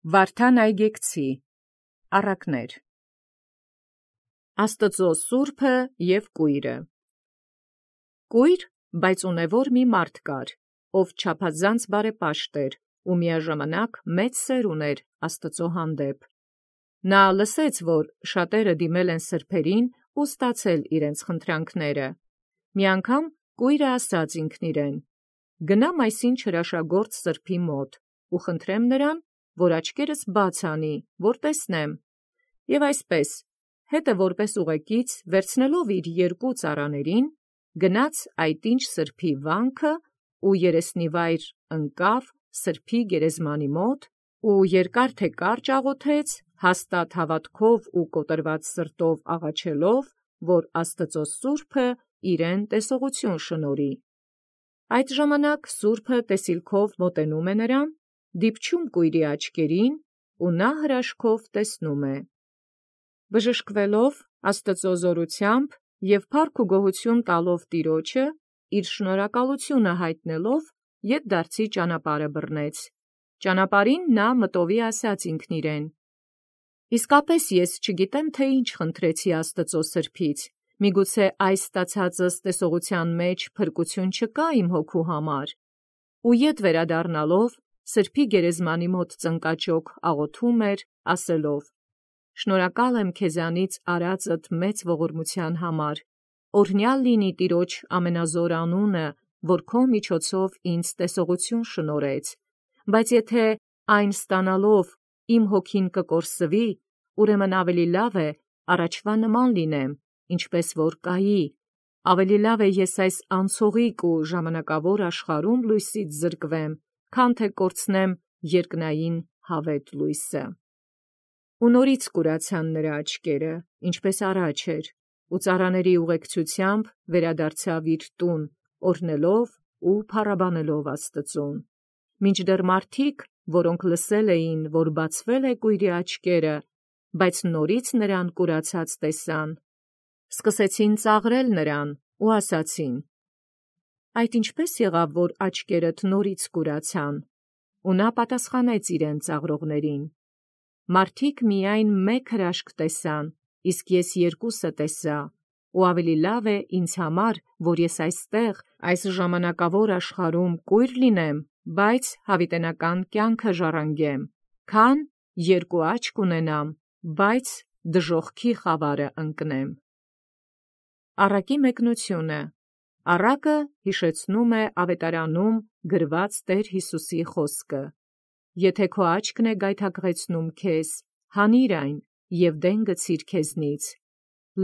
Վարդան Այգեկցի առակներ Աստծո սուրբը և կույրը Կույր, բայց ունևոր մի մարդ կար, ով չափազանց բարեպաշտ էր ու միաժամանակ մեծ սեր ուներ Աստծո հանդեպ։ Նա լսեց, որ շատերը դիմել են սրբերին ու ստացել իրենց խնդրանքները։ Մի անգամ կույրը ասաց ինքն իրեն. «Գնամ այսին չրաշագործ սրբի մոտ ու խնդրեմ նրան, որ աչքերս բաց անի, որ տեսնեմ»։ Եւ այսպես, հետը որպես ուղեկից վերցնելով իր երկու ծառաներին, գնաց այդ ինչ սրբի վանքը ու երեսնիվայր ընկավ սրբի գերեզմանի մոտ ու երկար թե կարճ աղոթեց, հաստատ հավատքով ու կոտրված սրտով աղաչելով, որ Աստծո սուրբը իրեն տեսողություն շնորհի։ Այդ ժամանակ սուրբը տեսիլքով մոտենում է նրան, դիպչում կույրի աչքերին ու նա հրաշքով տեսնում է։ Բժշկվելով Աստծո զորությամբ և փառք ու գոհություն տալով Տիրոջը, իր շնորհակալությունը հայտնելով, ետդարձի ճանապարհը բռնեց։ Ճանապարհին նա մտովի ասաց ինքն իրեն. «Իսկապես ես չգիտեմ, թե ինչ խնդրեցի Աստծո սրբից, միգուցե այս ստացածս տեսողության մեջ փրկություն չկա իմ հոգու համար»։ Ու ետ վերադառնալով, սրբի գերեզմանի մոտ ծնկաճոք աղոթում էր, ասելով. «Շնորհակալ եմ քեզանից արածդ մեծ ողորմության համար, օրհնյալ լինի Տիրոջ ամենազոր անունը, որ քո միջոցով ինձ տեսողություն շնորհեց, բայց եթե այն ստանալով իմ հոգին կկորսվի, ուրեմն ավելի լավ է առաջվա նման լինեմ, ինչպես որ կայի, ավելի լավ է ես այս անցողիկ ու ժամանակավոր աշխարհում լույսից զրկվեմ, քան թե կորցնեմ երկնային հավետ լույսը»։ Ու նորից կուրացան նրա աչքերը, ինչպես առաջ էր, ու ծառաների ուղեկցությամբ վերադարձավ իր տուն, օրհնելով ու փառաբանելով Աստծուն։ Մինչդեռ մարդիկ, որոնք լսել էին, որ բացվել է կույրի աչքերը, բայց նորից նրան կուրացած տեսան, սկսեցին ծաղրել նրան ու ասացին. «Այդ ինչպե՞ս եղավ, որ աչքերդ նորից կուրացան»։ Ու նա պատասխանեց իրեն ծաղրողներին. «Մարդիկ միայն մեկ հրաշք տեսան, իսկ ես երկուսը տեսա, ու ավելի լավ է ինձ համար, որ ես այստեղ, այս ժամանակավոր աշխարհում կույր լինեմ, բայց յաւիտենական կյանքը ժառանգեմ, քան երկու աչք ունենամ, բայց դժոխքի խավարը ընկնեմ»։ Առակի մեկնությունը։ Առակը յիշեցնում է ավետարանում գրված Տեր Յիսուսի խոսքը. «Եթե քո աչքն է գայթակղեցնում քեզ, հանիր այն և դեն գցիր քեզնից.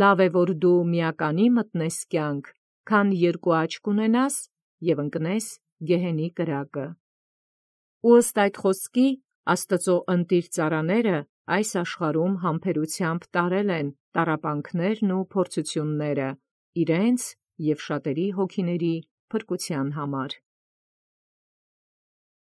լավ է, որ դու միականի մտնես կյանք, քան երկու աչք ունենաս և ընկնես գեհենի կրակը»։ Ու ըստ այդ խոսքի, Աստծո ընտիր ծառաները այս աշխարհում համբերությամբ տարել են տառապանքներն ու փորձությունները իրենց և շատերի հոգիների փրկության համար։